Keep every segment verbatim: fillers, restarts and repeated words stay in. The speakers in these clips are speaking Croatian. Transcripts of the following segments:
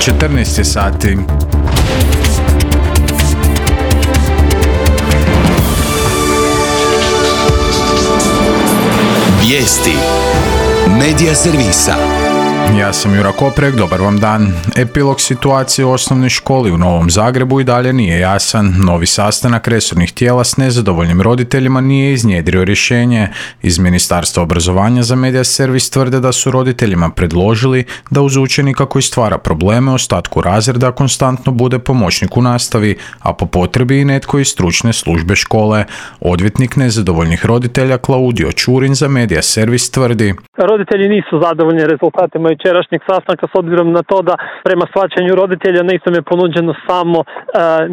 četrnaest je sati. Vijesti Medija servisa. Ja sam Jura Koprek, dobar vam dan. Epilog situacije u osnovnoj školi u Novom Zagrebu i dalje nije jasan. Novi sastanak resornih tijela s nezadovoljnim roditeljima nije iznjedrio rješenje. Iz Ministarstva obrazovanja za Medija servis tvrde da su roditeljima predložili da uz učenika koji stvara probleme u ostatku razreda konstantno bude pomoćnik u nastavi, a po potrebi i netko iz stručne službe škole. Odvjetnik nezadovoljnih roditelja Klaudio Čurin za Medija servis tvrdi: roditelji nisu zadovoljni rezultatima jučerašnjeg sastanka s obzirom na to da prema shvaćanju roditelja nisam je ponuđeno samo e,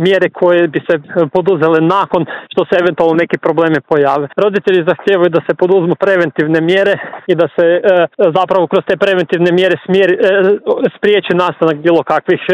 mjere koje bi se poduzele nakon što se eventualno neki problemi pojave. Roditelji zahtijevaju da se poduzmu preventivne mjere i da se e, zapravo kroz te preventivne mjere smjeri, e, spriječi nastanak bilo kakvih e,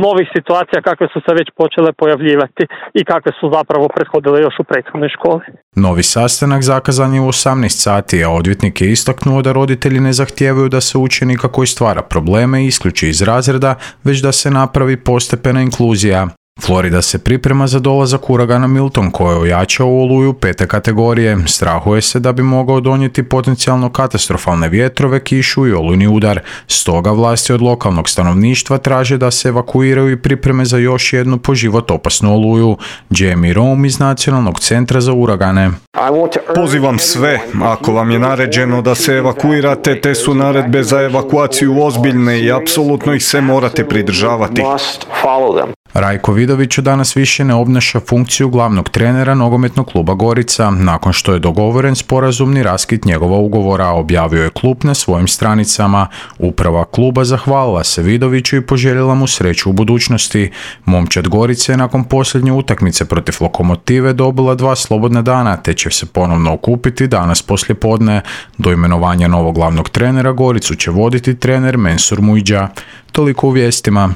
novih situacija kakve su se već počele pojavljivati i kakve su zapravo prethodile još u prethodnoj školi. Novi sastanak zakazan je u osamnaest sati, a odvjetnik je istaknuo da roditelji ne zahtijevaju da se učenika koji stvara probleme isključi iz razreda, već da se napravi postepena inkluzija. Florida se priprema za dolazak uragana Milton koji je ojačao u oluju pete kategorije. Strahuje se da bi mogao donijeti potencijalno katastrofalne vjetrove, kišu i olujni udar. Stoga vlasti od lokalnog stanovništva traže da se evakuiraju i pripreme za još jednu po život opasnu oluju. Jamie Rome iz Nacionalnog centra za uragane. Pozivam sve, ako vam je naređeno da se evakuirate, te su naredbe za evakuaciju ozbiljne i apsolutno ih se morate pridržavati. Rajko Vidović danas više ne obnaša funkciju glavnog trenera nogometnog kluba Gorica, nakon što je dogovoren sporazumni raskid njegova ugovora, objavio je klub na svojim stranicama. Uprava kluba zahvalila se Vidoviću i poželjela mu sreću u budućnosti. Momčad Gorice je nakon posljednje utakmice protiv Lokomotive dobila dva slobodna dana, te će se ponovno okupiti danas poslijepodne. Do imenovanja novog glavnog trenera Goricu će voditi trener Mensur Mujdža. Toliko u vijestima.